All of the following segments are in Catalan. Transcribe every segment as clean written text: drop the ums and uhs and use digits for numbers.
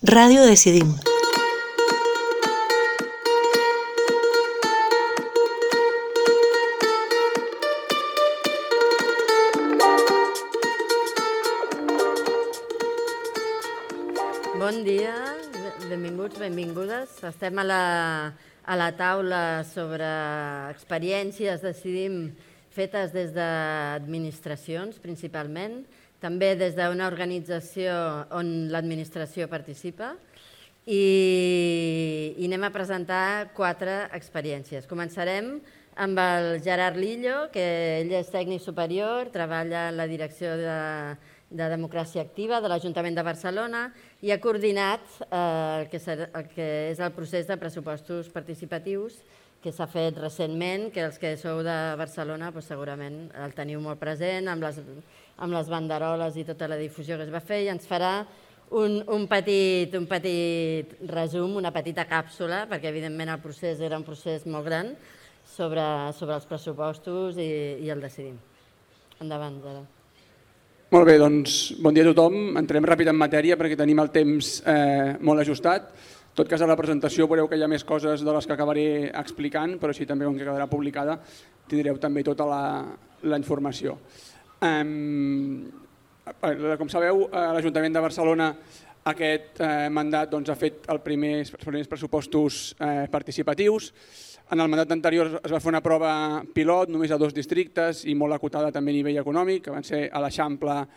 Ràdio Decidim. Bon dia, benvinguts, benvingudes. Estem a la taula sobre experiències Decidim fetes des d'administracions, principalment, també des d'una organització on l'administració participa, i anem a presentar 4 experiències. Començarem amb el Gerard Lillo, que ell és tècnic superior, treballa en la direcció de Democràcia Activa de l'Ajuntament de Barcelona i ha coordinat el que és el procés de pressupostos participatius que s'ha fet recentment, que els que sou de Barcelona segurament el teniu molt present, amb les banderoles i tota la difusió que es va fer, i ens farà un petit resum, una petita càpsula, perquè evidentment el procés era un procés molt gran, sobre els pressupostos i el Decidim. Endavant, Gerard. Molt bé, doncs bon dia a tothom. Entrem ràpid en matèria perquè tenim el temps molt ajustat. En tot cas, a la presentació veureu que hi ha més coses de les que acabaré explicant, però així també, com que quedarà publicada, tindreu també tota la informació. Com sabeu, l'Ajuntament de Barcelona aquest mandat ha fet els primers pressupostos participatius. En el mandat anterior es va fer una prova pilot només a 2 districtes i molt acotada també a nivell econòmic, que van ser a l'Eixample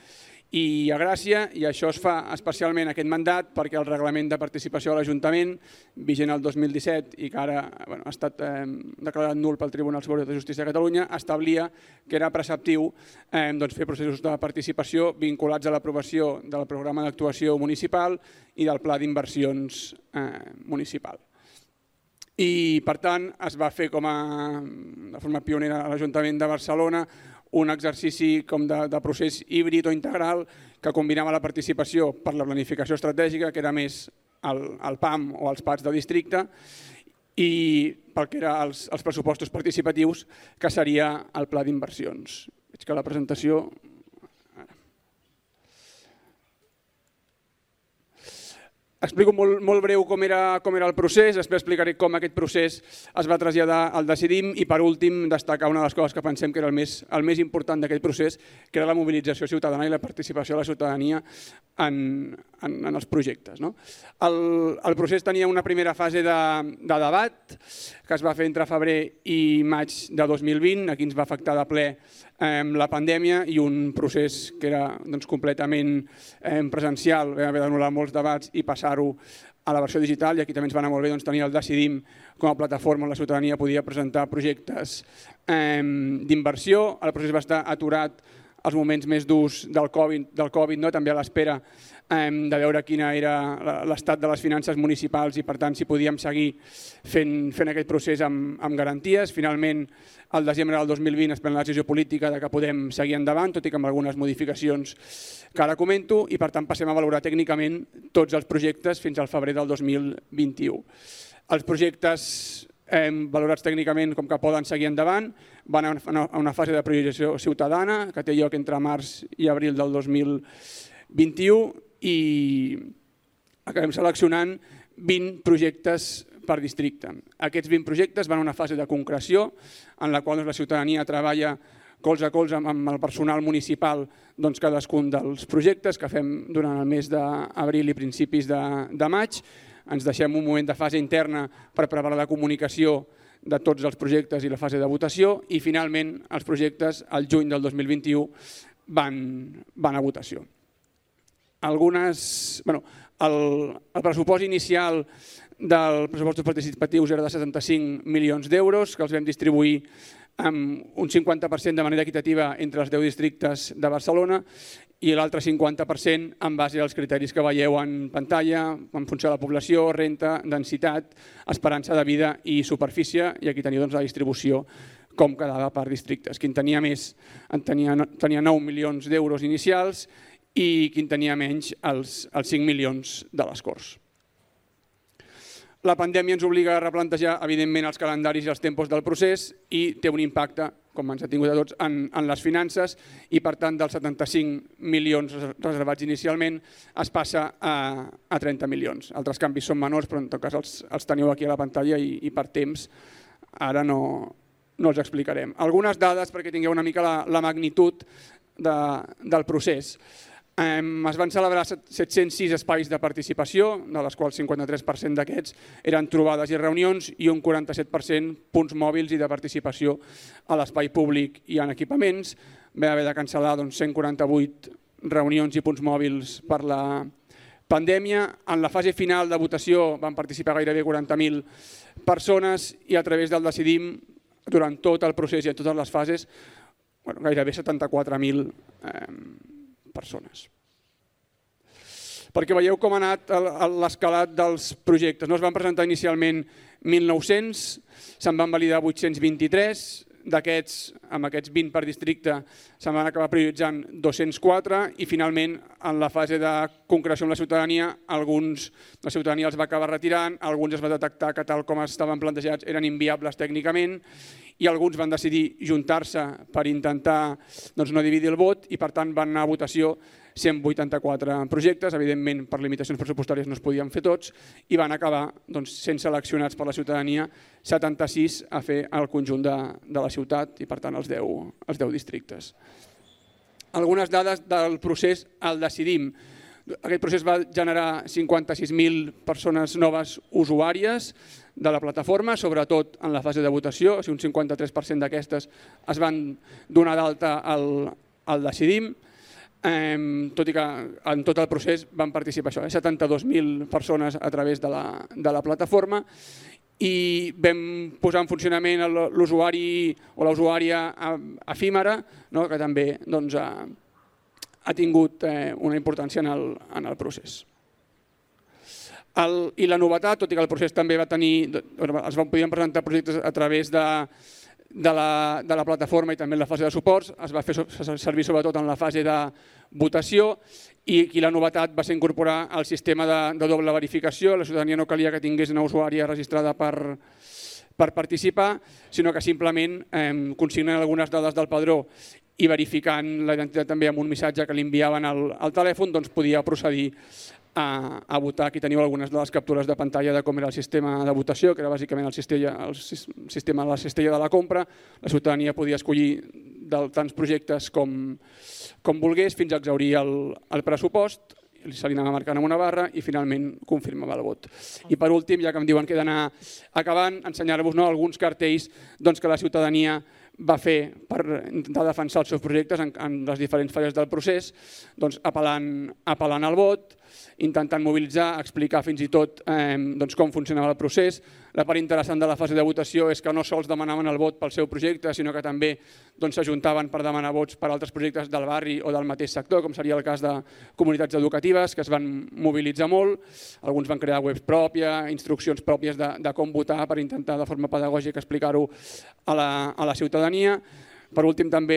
i a Gràcia, i això es fa especialment aquest mandat perquè el reglament de participació de l'Ajuntament, vigent el 2017 i que ara ha estat declarat nul pel Tribunal Superior de Justícia de Catalunya, establia que era preceptiu fer processos de participació vinculats a l'aprovació del programa d'actuació municipal i del pla d'inversions municipal. I, per tant, es va fer de forma pionera a l'Ajuntament de Barcelona un exercici de procés híbrid o integral que combinava la participació per la planificació estratègica, que era més el PAM o els PATs de districte, i pel que eren els pressupostos participatius, que seria el pla d'inversions. Veig que la presentació... Explico molt breu com era el procés, després explicaré com aquest procés es va traslladar al Decidim i, per últim, destacar una de les coses que pensem que era el més important d'aquest procés, que era la mobilització ciutadana i la participació de la ciutadania en els projectes. El procés tenia una primera fase de debat que es va fer entre febrer i maig de 2020, aquí ens va afectar de ple la pandèmia i un procés que era completament presencial, vam haver d'anul·lar molts debats i passar-ho a la versió digital, i aquí també ens va anar molt bé tenir el Decidim com a plataforma on la ciutadania podia presentar projectes d'inversió. El procés va estar aturat als moments més durs del Covid, també a l'espera de veure quin era l'estat de les finances municipals i, per tant, si podíem seguir fent aquest procés amb garanties. Finalment, al desembre del 2020 es pren la decisió política que podem seguir endavant, tot i que amb algunes modificacions que ara comento, i per tant passem a valorar tècnicament tots els projectes fins al febrer del 2021. Els projectes valorats tècnicament com que poden seguir endavant van a una fase de priorització ciutadana que té lloc entre març i abril del 2021 i acabem seleccionant 20 projectes per districte. Aquests 20 projectes van a una fase de concreció en la qual la ciutadania treballa colze a colze amb el personal municipal cadascun dels projectes que fem durant el mes d'abril i principis de maig. Ens deixem un moment de fase interna per preparar la comunicació de tots els projectes i la fase de votació i finalment els projectes al juny del 2021 van a votació. El pressupost inicial dels pressupostos participatius era de 75 milions d'euros que els vam distribuir amb un 50% de manera equitativa entre els 10 districtes de Barcelona i l'altre 50% en base als criteris que veieu en pantalla, en funció de la població, renta, densitat, esperança de vida i superfície, i aquí teniu la distribució com quedava per districtes. Qui en tenia més tenia 9 milions d'euros inicials i qui en tenia menys els 5 milions de les Corts. La pandèmia ens obliga a replantejar, evidentment, els calendaris i els tempos del procés i té un impacte com ens ha tingut a tots, en les finances i, per tant, dels 75 milions reservats inicialment es passa a 30 milions. Altres canvis són menors, però en tot cas els teniu aquí a la pantalla i per temps ara no els explicarem. Algunes dades perquè tingueu una mica la magnitud del procés. Es van celebrar 706 espais de participació, de les quals 53% d'aquests eren trobades i reunions i un 47% punts mòbils i de participació a l'espai públic i en equipaments. Va haver de cancel·lar 148 reunions i punts mòbils per la pandèmia. En la fase final de votació van participar gairebé 40.000 persones i a través del Decidim, durant tot el procés i en totes les fases, gairebé 74.000 persones. Perquè veieu com ha anat l'escalat dels projectes. Es van presentar inicialment 1.900, se'n van validar 823, d'aquests, amb aquests 20 per districte, se'n van acabar prioritzant 204 i finalment en la fase de concreció amb la ciutadania, la ciutadania els va acabar retirant, alguns es va detectar que tal com estaven plantejats eren inviables tècnicament i alguns van decidir juntar-se per intentar no dividir el vot i per tant van anar a votació 184 projectes, evidentment per limitacions pressupostàries no es podien fer tots i van acabar sent seleccionats per la ciutadania 76 a fer el conjunt de la ciutat i per tant els 10 districtes. Algunes dades del procés al Decidim. Aquest procés va generar 56.000 persones noves usuàries de la plataforma, sobretot en la fase de votació, un 53% d'aquestes es van donar d'alta al Decidim, tot i que en tot el procés van participar 72.000 persones a través de la plataforma i vam posar en funcionament l'usuari o l'usuària efímera, que també ha tingut una importància en el procés. I la novetat, tot i que el procés també va tenir, podien presentar projectes a través de la plataforma i també en la fase de suports, es va fer servir sobretot en la fase de votació i la novetat va ser incorporar el sistema de doble verificació. La ciutadania no calia que tingués una usuària registrada per participar, sinó que simplement consignen algunes dades del padró i verificant la identitat també amb un missatge que li enviaven al telèfon, podia procedir a votar. Aquí teniu algunes de les captures de pantalla de com era el sistema de votació, que era bàsicament el sistema de la cistella de la compra. La ciutadania podia escollir tants projectes com volgués fins a exhaurir el pressupost, se li anava marcant amb una barra i finalment confirmava el vot. I per últim, ja que em diuen que he d'anar acabant, ensenyar-vos alguns cartells que la ciutadania va fer per intentar defensar els seus projectes en les diferents fases del procés, apel·lant al vot, intentant mobilitzar, explicar fins i tot com funcionava el procés. La part interessant de la fase de votació és que no sols demanaven el vot pel seu projecte, sinó que també s'ajuntaven per demanar vots per altres projectes del barri o del mateix sector, com seria el cas de comunitats educatives, que es van mobilitzar molt. Alguns van crear webs pròpies, instruccions pròpies de com votar per intentar de forma pedagògica explicar-ho a la ciutadania. Per últim, també,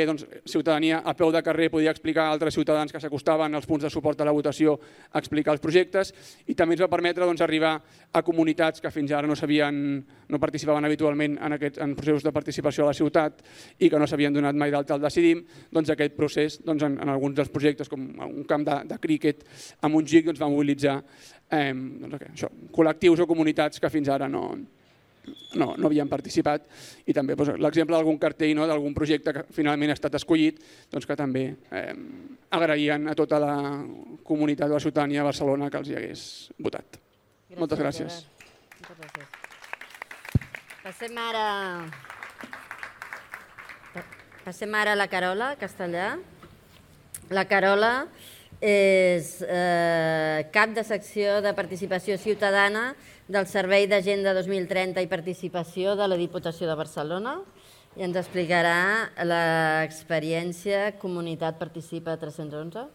ciutadania a peu de carrer podia explicar a altres ciutadans que s'acostaven als punts de suport a la votació a explicar els projectes i també ens va permetre arribar a comunitats que fins ara no participaven habitualment en processos de participació a la ciutat i que no s'havien donat mai d'alta al Decidim. Aquest procés, en alguns dels projectes, com un camp de críquet a Montjuïc, va mobilitzar col·lectius o comunitats que fins ara no havien participat i també l'exemple d'algun cartell d'algun projecte que finalment ha estat escollit que també agraïen a tota la comunitat de la ciutadania de Barcelona que els hi hagués votat. Moltes gràcies. Passem ara a la Carola Castellà. La Carola és cap de secció de participació ciutadana del Servei d'Agenda 2030 i Participació de la Diputació de Barcelona i ens explicarà l'experiència Comunitat Participa 311.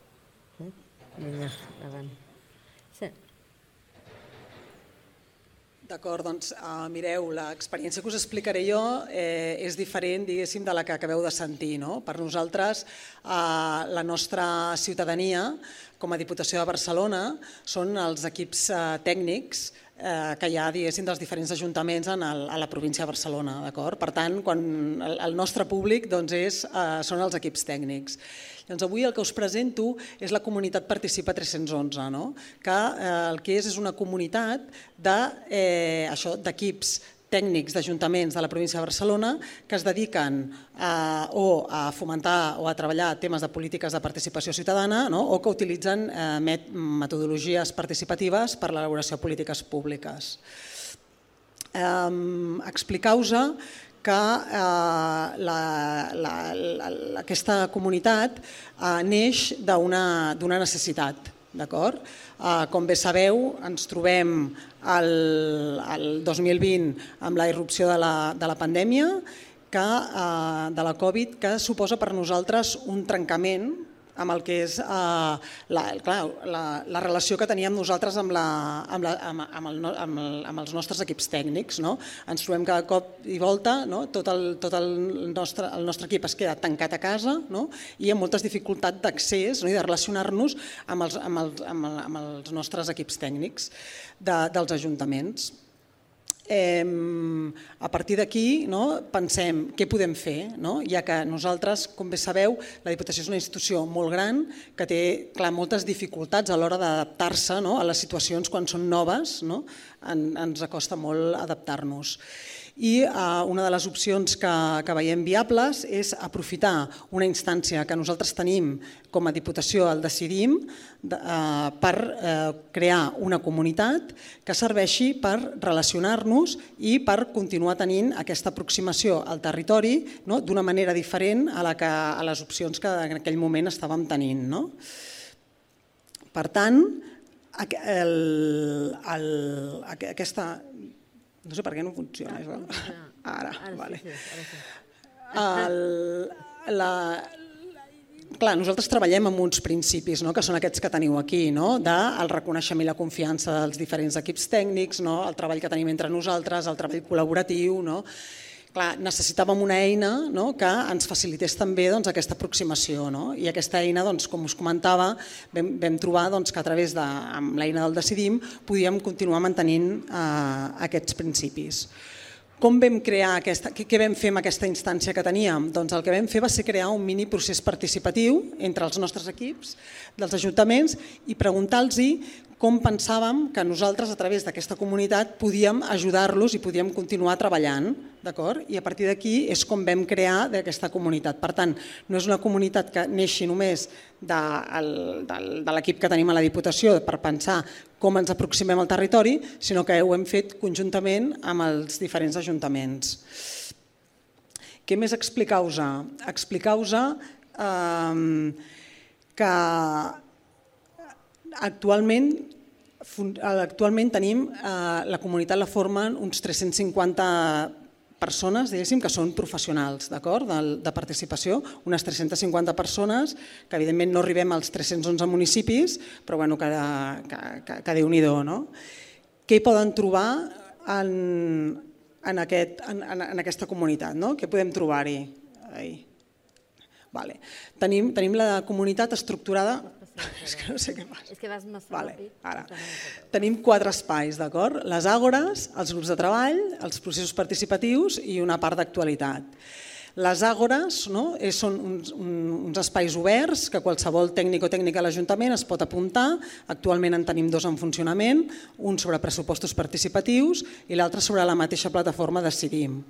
D'acord, doncs mireu, l'experiència que us explicaré jo és diferent, diguéssim, de la que acabeu de sentir. Per nosaltres, la nostra ciutadania, com a Diputació de Barcelona, són els equips tècnics que hi ha, diguéssim, dels diferents ajuntaments a la província de Barcelona. Per tant, el nostre públic són els equips tècnics. Llavors, avui el que us presento és la comunitat Participa 311, que el que és una comunitat d'equips tècnics d'ajuntaments de la província de Barcelona que es dediquen o a fomentar o a treballar temes de polítiques de participació ciutadana o que utilitzen metodologies participatives per a l'elaboració de polítiques públiques. Explicar-vos que aquesta comunitat neix d'una necessitat. Com bé sabeu, ens trobem el 2020 amb la irrupció de la pandèmia, de la Covid, que suposa per nosaltres un trencament amb el que és la relació que teníem nosaltres amb els nostres equips tècnics. Ens trobem cada cop i volta, tot el nostre equip es queda tancat a casa i amb moltes dificultats d'accés i de relacionar-nos amb els nostres equips tècnics dels ajuntaments. A partir d'aquí pensem què podem fer, ja que nosaltres, com bé sabeu, la Diputació és una institució molt gran que té moltes dificultats a l'hora d'adaptar-se a les situacions quan són noves, ens costa molt adaptar-nos. I una de les opcions que veiem viables és aprofitar una instància que nosaltres tenim com a Diputació al Decidim per crear una comunitat que serveixi per relacionar-nos i per continuar tenint aquesta aproximació al territori d'una manera diferent a les opcions que en aquell moment estàvem tenint. Per tant, aquesta... No sé per què no funciona. Ara, vale. Clar, nosaltres treballem amb uns principis, que són aquests que teniu aquí, del reconeixement i la confiança dels diferents equips tècnics, el treball que tenim entre nosaltres, el treball col·laboratiu. Clar, necessitàvem una eina que ens facilités també aquesta aproximació i aquesta eina, com us comentava, vam trobar que a través de l'eina del Decidim podíem continuar mantenint aquests principis. Com vam crear què vam fer amb aquesta instància que teníem? Doncs el que vam fer va ser crear un mini procés participatiu entre els nostres equips dels ajuntaments i preguntar-los com pensàvem que nosaltres a través d'aquesta comunitat podíem ajudar-los i podíem continuar treballant. I a partir d'aquí és com vam crear aquesta comunitat. Per tant, no és una comunitat que neixi només de l'equip que tenim a la Diputació per pensar com ens aproximem al territori, sinó que ho hem fet conjuntament amb els diferents ajuntaments. Què més explicar-vos? Explicar-vos que actualment tenim la comunitat la formen uns 350 persones, diguéssim, que són professionals de participació, unes 350 persones, que evidentment no arribem als 311 municipis, però que Déu-n'hi-do. Què hi poden trobar en aquesta comunitat? Què podem trobar-hi? Tenim la comunitat estructurada... És que no sé què passa. És que vas massa ràpid. Tenim 4 espais, les àgores, els grups de treball, els processos participatius i una part d'actualitat. Les àgores són uns espais oberts que qualsevol tècnic o tècnica de l'Ajuntament es pot apuntar. Actualment en tenim 2 en funcionament, un sobre pressupostos participatius i l'altre sobre la mateixa plataforma Decidim.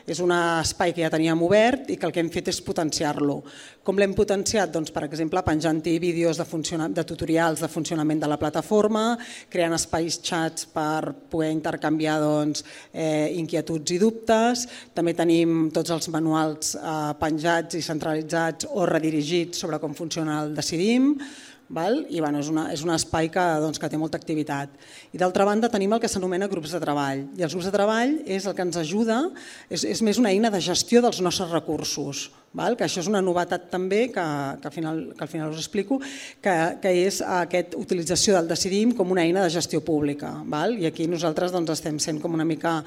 És un espai que ja teníem obert i que el que hem fet és potenciar-lo. Com l'hem potenciat? Per exemple, penjant-hi vídeos de tutorials de funcionament de la plataforma, creant espais xats per poder intercanviar inquietuds i dubtes. També tenim tots els manuals penjats i centralitzats o redirigits sobre com funciona el Decidim. I és un espai que té molta activitat. I d'altra banda tenim el que s'anomena grups de treball. I els grups de treball és el que ens ajuda, és més una eina de gestió dels nostres recursos. que això és una novetat també, que al final us explico, que és aquesta utilització del Decidim com una eina de gestió pública. I aquí nosaltres estem sent com una mica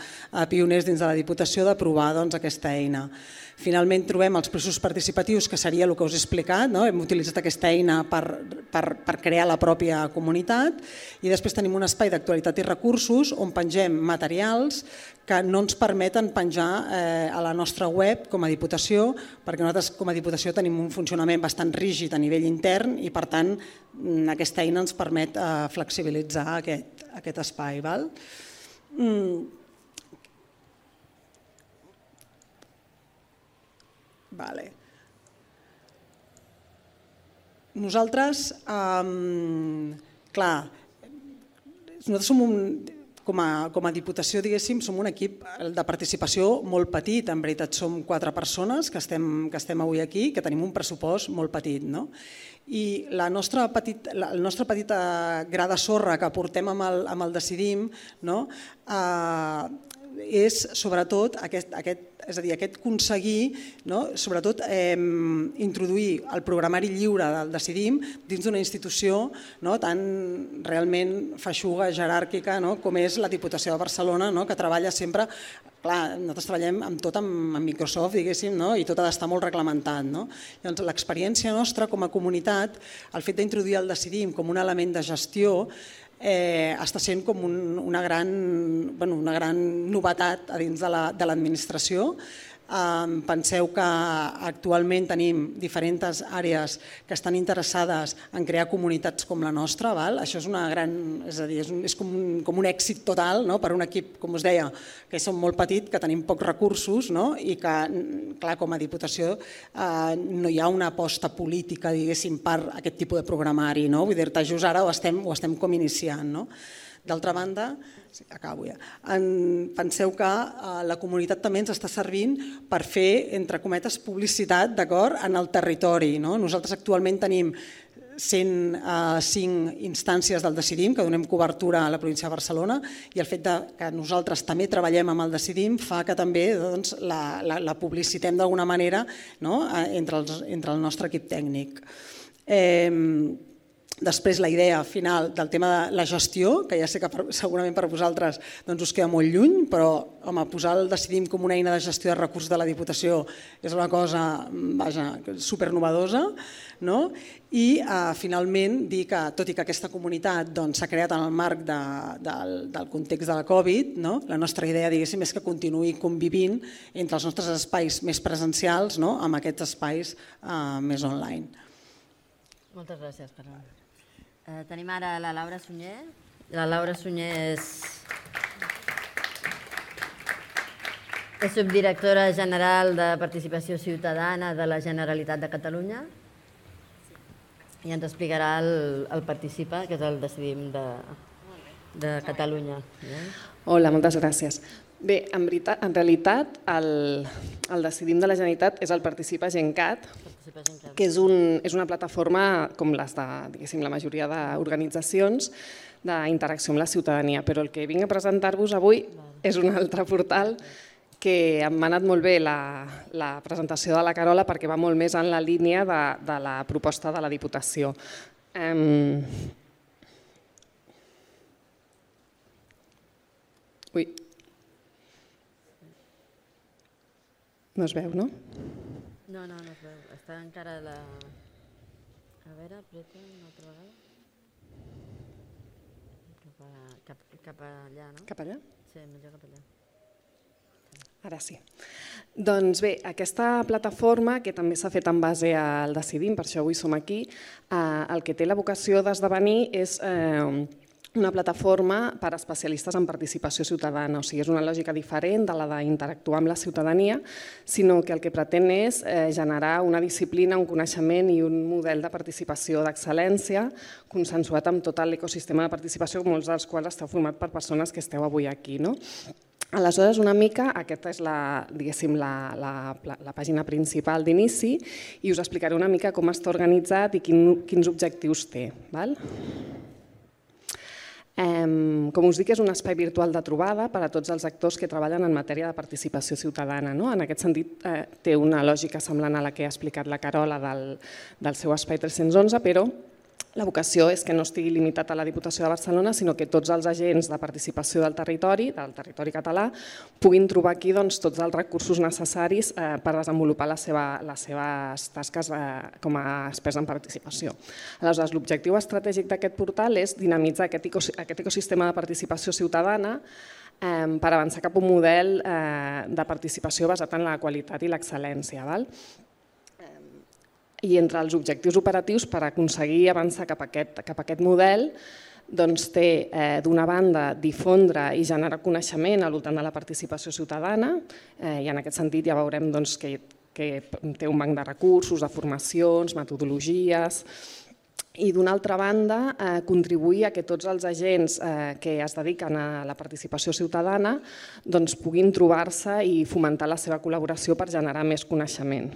pioners dins de la Diputació d'aprovar aquesta eina. Finalment trobem els processos participatius, que seria el que us he explicat, hem utilitzat aquesta eina per crear la pròpia comunitat, i després tenim un espai d'actualitat i recursos on pengem materials que no ens permeten penjar a la nostra web com a Diputació, perquè nosaltres com a Diputació tenim un funcionament bastant rígid a nivell intern i per tant aquesta eina ens permet flexibilitzar aquest espai. Nosaltres, clar, nosaltres som com a Diputació, diguéssim, som un equip de participació molt petit. En veritat som 4 persones que estem avui aquí, que tenim un pressupost molt petit. I el nostre petit gra de sorra que portem amb el Decidim és sobretot aquest aconseguir sobretot introduir el programari lliure del Decidim dins d'una institució tan realment feixuga, jeràrquica com és la Diputació de Barcelona, que treballa sempre, clar, nosaltres treballem amb tot amb Microsoft, diguéssim, i tot ha d'estar molt reglamentat. Llavors, l'experiència nostra com a comunitat, el fet d'introduir el Decidim com un element de gestió, està sent com una gran novetat a dins de l'administració. Penseu que actualment tenim diferents àrees que estan interessades en crear comunitats com la nostra. Això és una gran, és com un èxit total per un equip, com us deia, que som molt petit, que tenim pocs recursos i que, clar, com a Diputació no hi ha una aposta política, diguéssim, per aquest tipus de programari. Vull dir-te, just ara ho estem com iniciant. D'altra banda, acabo ja, penseu que la comunitat també ens està servint per fer, entre cometes, publicitat en el territori. Nosaltres actualment tenim 105 instàncies del Decidim que donem cobertura a la província de Barcelona, i el fet que nosaltres també treballem amb el Decidim fa que també la publicitem d'alguna manera entre el nostre equip tècnic. Després, la idea final del tema de la gestió, que ja sé que segurament per vosaltres us queda molt lluny, però posar el Decidim com una eina de gestió de recursos de la Diputació és una cosa supernovedosa. I finalment dir que, tot i que aquesta comunitat s'ha creat en el marc del context de la Covid, la nostra idea, diguéssim, és que continuï convivint entre els nostres espais més presencials amb aquests espais més online. Moltes gràcies, Carol. Tenim ara la Laura Sunyer. La Laura Sunyer és subdirectora general de Participació Ciutadana de la Generalitat de Catalunya i ens explicarà el Participa, que és el Decidim de Catalunya. Hola, moltes gràcies. Bé, en realitat el Decidim de la Generalitat és el Participa GenCat, que és una plataforma com les de, diguéssim, la majoria d'organitzacions d'interacció amb la ciutadania, però el que vinc a presentar-vos avui és un altre portal que m'ha anat molt bé la presentació de la Carola perquè va molt més en la línia de la proposta de la Diputació. Ui. No es veu, no? No es veu. Està encara la... A veure, apreta una altra vegada. Cap allà, no? Cap allà? Sí, millor cap allà. Ara sí. Doncs bé, aquesta plataforma, que també s'ha fet en base al Decidim, per això avui som aquí, el que té la vocació d'esdevenir és una plataforma per a especialistes en participació ciutadana, o sigui, és una lògica diferent de la d'interactuar amb la ciutadania, sinó que el que pretén és generar una disciplina, un coneixement i un model de participació d'excel·lència consensuat amb tot l'ecosistema de participació, molts dels quals esteu format per persones que esteu avui aquí. Aleshores, una mica, aquesta és la pàgina principal d'inici i us explicaré una mica com està organitzat i quins objectius té. Com us dic, és un espai virtual de trobada per a tots els actors que treballen en matèria de participació ciutadana. En aquest sentit, té una lògica semblant a la que ha explicat la Carola del seu espai 311, però la vocació és que no estigui limitat a la Diputació de Barcelona, sinó que tots els agents de participació del territori català, puguin trobar aquí tots els recursos necessaris per desenvolupar les seves tasques com a experts en participació. Aleshores, l'objectiu estratègic d'aquest portal és dinamitzar aquest ecosistema de participació ciutadana per avançar cap a un model de participació basat en la qualitat i l'excel·lència. I entre els objectius operatius per aconseguir avançar cap a aquest model té, d'una banda, difondre i generar coneixement al voltant de la participació ciutadana, i en aquest sentit ja veurem que té un banc de recursos, de formacions, metodologies, i d'una altra banda contribuir a que tots els agents que es dediquen a la participació ciutadana puguin trobar-se i fomentar la seva col·laboració per generar més coneixement.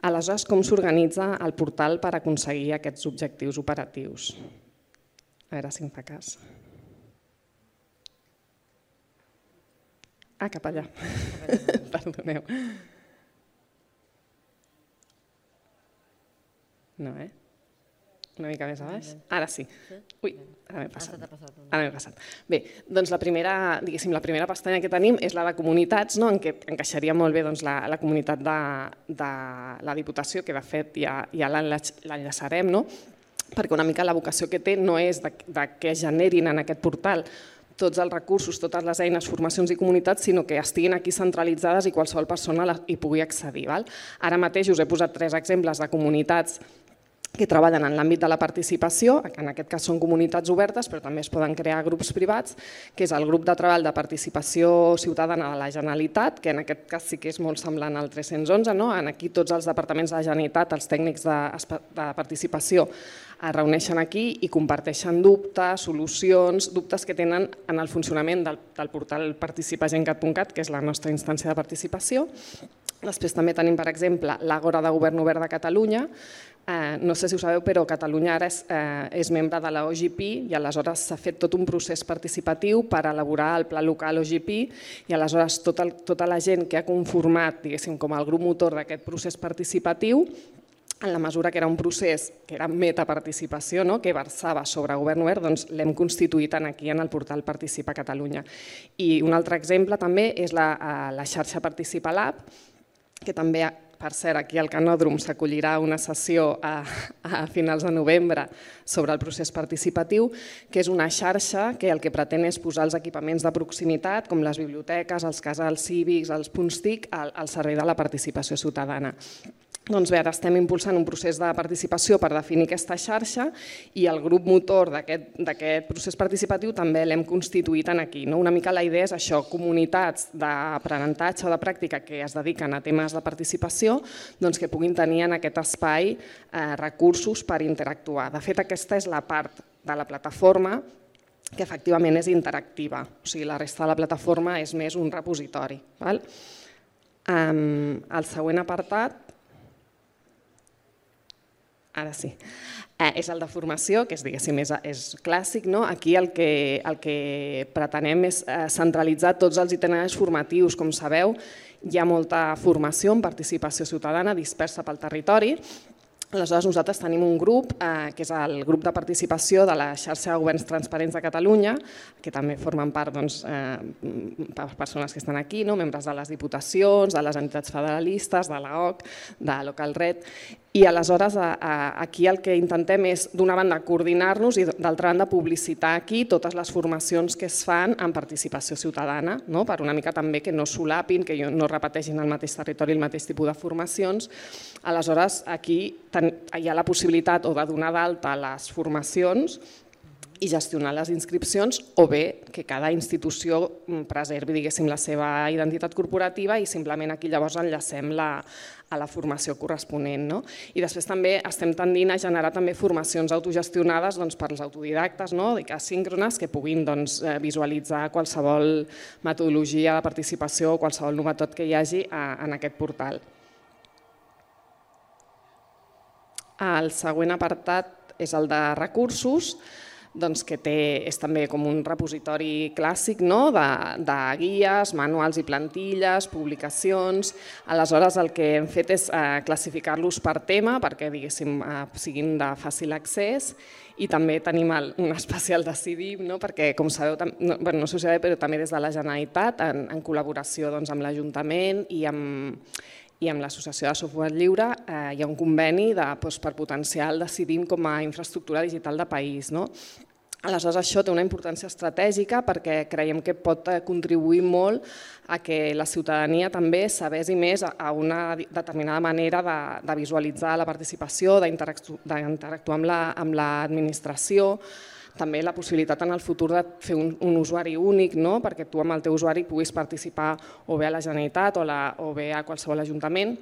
Aleshores, com s'organitza el portal per aconseguir aquests objectius operatius? A veure si em fa cas. Cap allà. Perdoneu. No, una mica més a baix. Ara sí. Ui, ara m'he passat. Bé, doncs la primera pestanya que tenim és la de comunitats, en què encaixaria molt bé la comunitat de la Diputació, que de fet ja l'enllaçarem, perquè una mica la vocació que té no és que es generin en aquest portal tots els recursos, totes les eines, formacions i comunitats, sinó que estiguin aquí centralitzades i qualsevol persona hi pugui accedir. Ara mateix us he posat 3 exemples de comunitats que treballen en l'àmbit de la participació, que en aquest cas són comunitats obertes, però també es poden crear grups privats, que és el grup de treball de participació ciutadana de la Generalitat, que en aquest cas sí que és molt semblant al 311, aquí tots els departaments de la Generalitat, els tècnics de participació, es reuneixen aquí i comparteixen dubtes, solucions, dubtes que tenen en el funcionament del portal participagencat.cat, que és la nostra instància de participació. Després també tenim, per exemple, l'Àgora de Govern Obert de Catalunya. No sé si ho sabeu, però Catalunya ara és membre de l'OGP i aleshores s'ha fet tot un procés participatiu per elaborar el pla local OGP i aleshores tota la gent que ha conformat, diguéssim, com el grup motor d'aquest procés participatiu, en la mesura que era un procés que era metaparticipació, que versava sobre govern obert, doncs l'hem constituït aquí en el portal Participa Catalunya. I un altre exemple també és la xarxa Participa Lab, que també, per cert, aquí al Canòdrom s'acollirà una sessió a finals de novembre sobre el procés participatiu, que és una xarxa que el que pretén és posar els equipaments de proximitat, com les biblioteques, els casals cívics, els punts TIC, al servei de la participació ciutadana. Doncs bé, ara estem impulsant un procés de participació per definir aquesta xarxa i el grup motor d'aquest procés participatiu també l'hem constituït aquí. Una mica la idea és això, comunitats d'aprenentatge o de pràctica que es dediquen a temes de participació que puguin tenir en aquest espai recursos per interactuar. De fet, aquesta és la part de la plataforma que efectivament és interactiva, o sigui, la resta de la plataforma és més un repositori. El següent apartat, ara sí, és el de formació, que és clàssic. Aquí el que pretenem és centralitzar tots els itineraris formatius. Com sabeu, hi ha molta formació en participació ciutadana dispersa pel territori. Aleshores, nosaltres tenim un grup, que és el grup de participació de la xarxa de governs transparents de Catalunya, que també formen part persones que estan aquí, membres de les diputacions, de les entitats federalistes, de l'AOC, de Localred. I aleshores aquí el que intentem és, d'una banda, coordinar-nos i d'altra banda, publicitar aquí totes les formacions que es fan en participació ciutadana, per una mica també que no solapin, que no repeteixin al mateix territori el mateix tipus de formacions. Aleshores, aquí hi ha la possibilitat o de donar d'alta les formacions i gestionar les inscripcions, o bé que cada institució preservi, diguéssim, la seva identitat corporativa i simplement aquí llavors enllacem a la formació corresponent. I després també estem tendint a generar també formacions autogestionades per als autodidactes, asíncrones, que puguin visualitzar qualsevol metodologia de participació o qualsevol novetat que hi hagi en aquest portal. El següent apartat és el de recursos. que és també com un repositori clàssic de guies, manuals i plantilles, publicacions. Aleshores el que hem fet és classificar-los per tema perquè siguin de fàcil accés, i també tenim un especial de CIDIM, perquè com sabeu, no sé si ho sabeu, però també des de la Generalitat, en col·laboració amb l'Ajuntament i amb l'Associació de Software Lliure, hi ha un conveni per potenciar el CIDIM com a infraestructura digital de país. Aleshores, això té una importància estratègica perquè creiem que pot contribuir molt a que la ciutadania també sabés més a una determinada manera de visualitzar la participació, d'interactuar amb l'administració, també la possibilitat en el futur de fer un usuari únic, perquè tu amb el teu usuari puguis participar o bé a la Generalitat o bé a qualsevol ajuntament.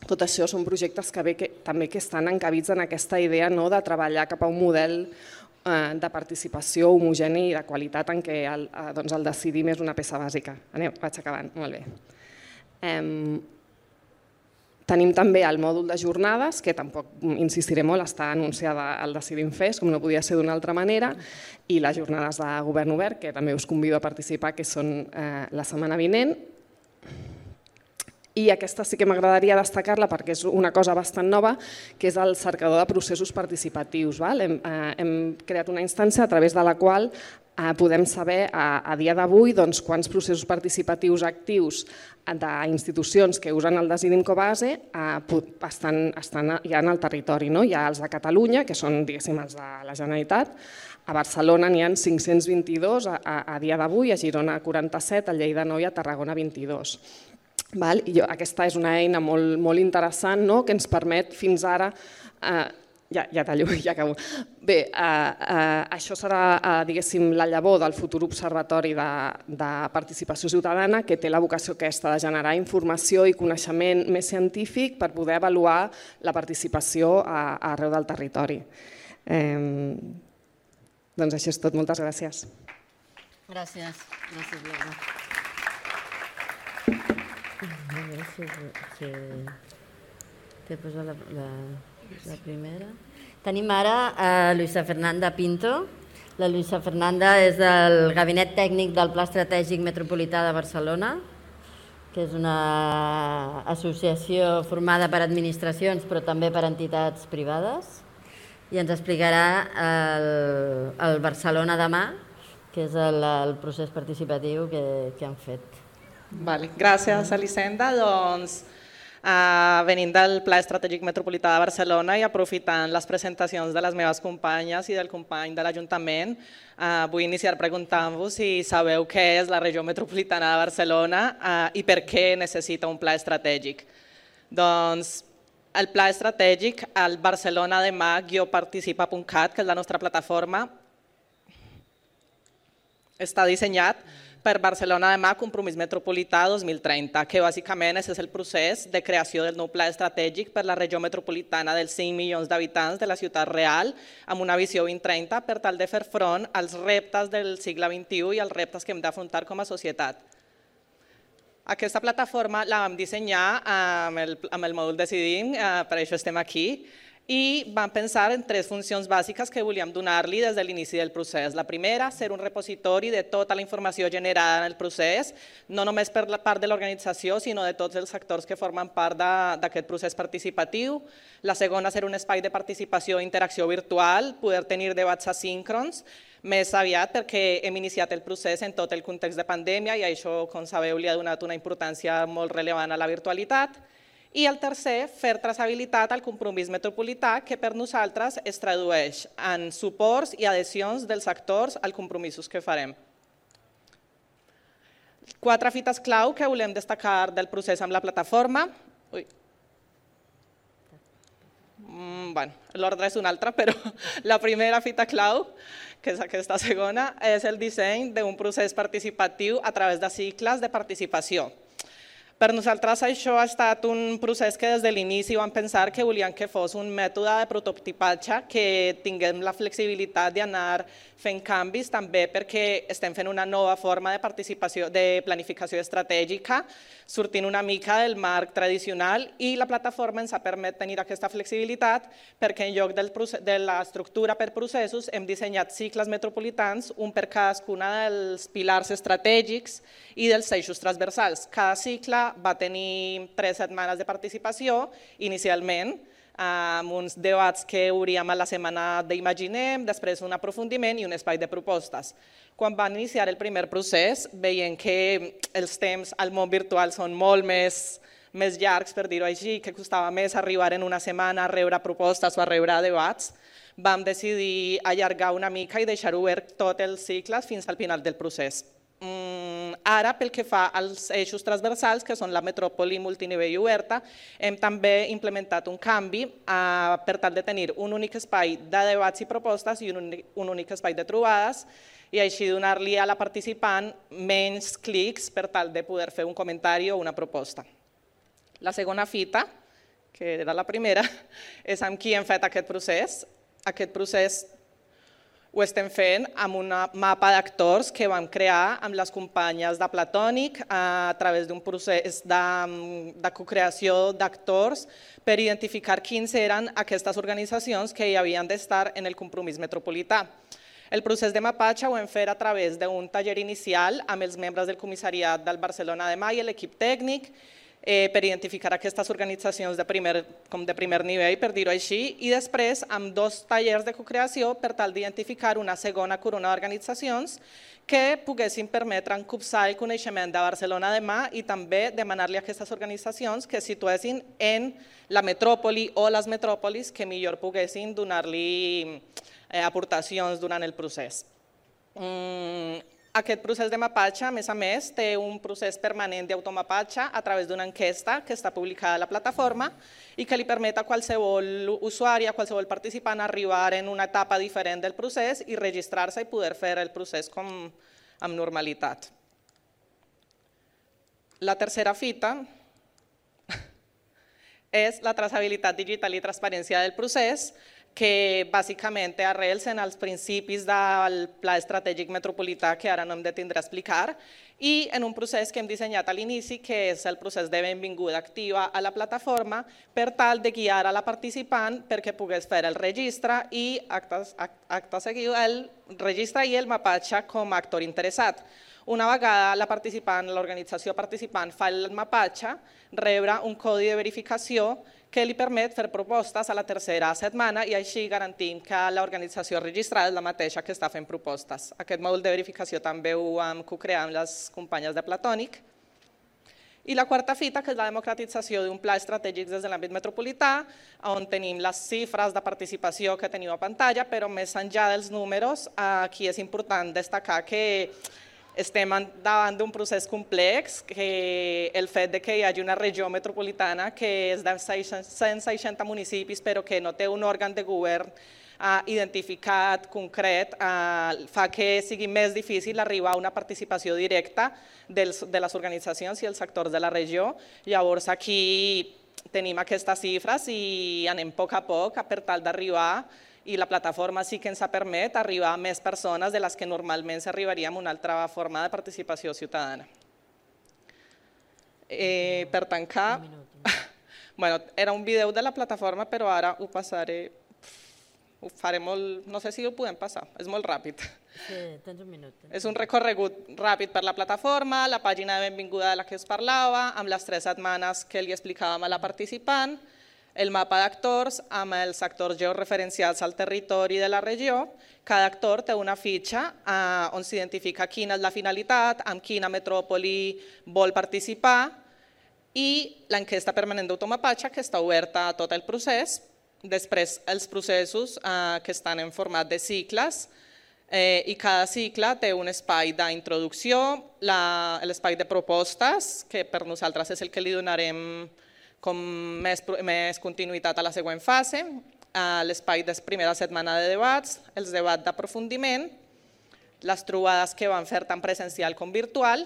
Tot això són projectes que també estan encabits en aquesta idea de treballar cap a un model de participació homogeni i de qualitat en què el decidim és una peça bàsica. Vaig acabant, molt bé. Tenim també el mòdul de jornades, que tampoc insistiré molt, està anunciada al Decidim Fest, com no podia ser d'una altra manera, i les jornades de govern obert, que també us convido a participar, que són la setmana vinent. I aquesta sí que m'agradaria destacar-la perquè és una cosa bastant nova, que és el cercador de processos participatius. Hem creat una instància a través de la qual podem saber a dia d'avui quants processos participatius actius d'institucions que usen el Decidim com a base estan ja en el territori. Hi ha els de Catalunya, que són els de la Generalitat, a Barcelona n'hi ha 522 a dia d'avui, a Girona 47, a Lleida 9 i a Tarragona 22. Aquesta és una eina molt interessant que ens permet fins ara... Ja tallo, ja acabo. Bé, això serà, diguéssim, la llavor del futur observatori de participació ciutadana que té la vocació aquesta de generar informació i coneixement més científic per poder avaluar la participació arreu del territori. Doncs això és tot. Moltes gràcies. Gràcies. Gràcies, Laura. A veure si t'he posat la primera. Tenim ara a Luisa Fernanda Pinto. La Luisa Fernanda és del Gabinet Tècnic del Pla Estratègic Metropolità de Barcelona, que és una associació formada per administracions però també per entitats privades, i ens explicarà el Barcelona Demà, que és el procés participatiu que han fet. Gràcies, Elisenda. Venint del Pla Estratègic Metropolità de Barcelona i aprofitant les presentacions de les meves companyes i del company de l'Ajuntament, vull iniciar preguntant-vos si sabeu què és la regió metropolitana de Barcelona i per què necessita un pla estratègic. Doncs el pla estratègic, el Barcelona Demà-participa.cat, que és la nostra plataforma, està dissenyat per Barcelona Demà Compromís Metropolità 2030, que bàsicament és el procés de creació del nou pla estratègic per la regió metropolitana dels 5 milions d'habitants de la ciutat real, amb una visió 2030 per tal de fer front als reptes del segle XXI i als reptes que hem d'afrontar com a societat. Aquesta plataforma la vam dissenyar amb el mòdul Decidim, per això estem aquí, i vam pensar en 3 funcions bàsiques que volíem donar-li des de l'inici del procés. La primera, ser un repositori de tota la informació generada en el procés, no només per la part de l'organització, sinó de tots els actors que formen part d'aquest procés participatiu. La segona, ser un espai de participació i interacció virtual, poder tenir debats asíncrons, més aviat perquè hem iniciat el procés en tot el context de pandèmia i això, com sabeu, li ha donat una importància molt rellevant a la virtualitat. I el tercer, fer traçabilitat al compromís metropolità, que per nosaltres es tradueix en suports i adhesions dels actors als compromisos que farem. 4 fites clau que volem destacar del procés amb la plataforma. L'ordre és un altre, però la primera fita clau, que és aquesta segona, és el disseny d'un procés participatiu a través de cicles de participació. Per nosaltres això ha estat un procés que des de l'inici vam pensar que volíem que fos un mètode de prototipatge, que tinguem la flexibilitat d'anar fent canvis, també perquè estem fent una nova forma de participació, de planificació estratègica, sortint una mica del marc tradicional, i la plataforma ens ha permès tenir aquesta flexibilitat perquè en lloc de l'estructura per processos hem dissenyat cicles metropolitans, un per cadascuna dels pilars estratègics i dels eixos transversals. Cada cicle va tenir 3 setmanes de participació inicialment, amb uns debats que obríem a la setmana d'Imaginem, després un aprofundiment i un espai de propostes. Quan van iniciar el primer procés, veient que els temps al món virtual són molt més llargs, per dir-ho així, que costava més arribar en una setmana a rebre propostes o a rebre debats, vam decidir allargar una mica i deixar obert tots els cicles fins al final del procés. Ara, pel que fa als eixos transversals, que són la metròpoli multinivell i oberta, hem també implementat un canvi per tal de tenir un únic espai de debats i propostes i un únic espai de trobades, i així donar-li a la participant menys clics per tal de poder fer un comentari o una proposta. La segona fita, que era la primera, és amb qui hem fet aquest procés. Aquest procés ho estem fent amb un mapa d'actors que vam crear amb les companyes de Platònic a través d'un procés de cocreació d'actors per identificar quins eren aquestes organitzacions que hi havien d'estar en el compromís metropolità. El procés de mapatge ho hem fet a través d'un taller inicial amb els membres del comissariat del Barcelona Demà i l'equip tècnic, per identificar aquestes organitzacions de primer nivell, per dir-ho així, i després amb 2 tallers de cocreació per tal d'identificar una segona corona d'organitzacions que poguessin permetre encopsar el coneixement de Barcelona Demà i també demanar-li a aquestes organitzacions que es situessin en la metròpoli o les metròpolis que millor poguessin donar-li aportacions durant el procés. Aquest procés de mapatge, a més, té un procés permanent d'automapatge a través d'una enquesta que està publicada a la plataforma i que li permet a qualsevol usuari, a qualsevol participant arribar en una etapa diferent del procés i registrar-se i poder fer el procés amb normalitat. La tercera fita és la traçabilitat digital i transparència del procés, que bàsicament té arrels en els principis del Pla Estratègic Metropolità, que ara no hem de tindre a explicar, i en un procés que hem dissenyat a l'inici, que és el procés de benvinguda activa a la plataforma, per tal de guiar a la participant perquè pogués fer el registre i, acte seguit, el registre i el mapatge com a actor interessat. Una vegada l'organització participant fa el mapatge, rebrà un codi de verificació que li permet fer propostes a la tercera setmana i així garantim que l'organització registrada és la mateixa que està fent propostes. Aquest mòdul de verificació també ho vam co-crear amb les companyes de Platònic. I la quarta fita, que és la democratització d'un pla estratègic des de l'àmbit metropolità, on tenim les xifres de participació que teniu a pantalla, però més enllà dels números, aquí és important destacar que estem davant d'un procés complex, que el fet que hi hagi una regió metropolitana que és de 160 municipis però que no té un òrgan de govern identificat, concret, fa que sigui més difícil arribar a una participació directa de les organitzacions i els actors de la regió. Llavors aquí tenim aquestes xifres i anem a poc per tal d'arribar, i la plataforma sí que ens permet arribar a més persones de les que normalment s'arribaria amb una altra forma de participació ciutadana. Per tancar, era un vídeo de la plataforma, però ara ho passaré, ho faré molt, no sé si ho podem passar, és molt ràpid. Sí, tens un minut. És un recorregut ràpid per la plataforma, la pàgina de benvinguda de la que us parlava, amb les 3 setmanes que li explicàvem a la participant, el mapa d'actors amb els actors georreferencials al territori de la regió. Cada actor té una fitxa on s'identifica quina és la finalitat, amb quina metròpoli vol participar, i l'enquesta permanent d'automapatge que està oberta a tot el procés. Després els processos que estan en format de cicles, i cada cicle té un espai d'introducció, l'espai de propostes, que per nosaltres és el que li donarem com més continuïtat a la següent fase, l'espai de primera setmana de debats, els debats d'aprofundiment, les trobades que van fer tant presencial com virtual,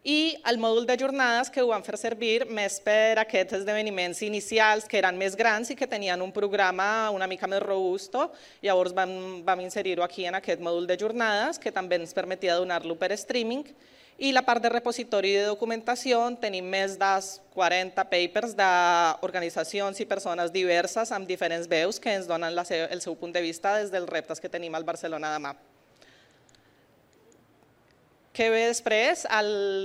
i el mòdul de jornades que ho van fer servir més per aquests esdeveniments inicials que eren més grans i que tenien un programa una mica més robusto. Llavors vam inserir-ho aquí en aquest mòdul de jornades que també ens permetia donar-lo per streaming. I la part de repositori de documentació tenim més de 40 papers d'organitzacions i persones diverses amb diferents veus que ens donen el seu punt de vista des dels reptes que tenim al Barcelona Demà. Què ve després?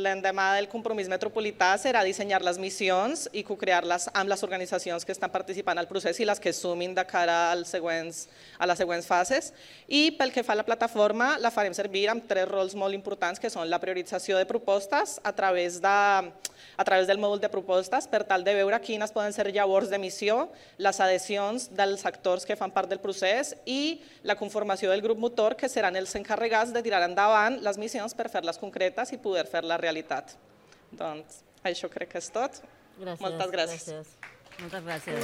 L'endemà del compromís metropolità serà dissenyar les missions i co-crear-les amb les organitzacions que estan participant al procés i les que sumin de cara a les següents fases. I pel que fa a la plataforma, la farem servir amb 3 rols molt importants, que són la priorització de propostes a través del mòdul de propostes, per tal de veure quines poden ser llavors de missió, les adhesions dels actors que fan part del procés i la conformació del grup motor, que seran els encarregats de tirar endavant les missions per fer-les concretes i poder fer-la realitat. Doncs això crec que és tot. Moltes gràcies. Moltes gràcies.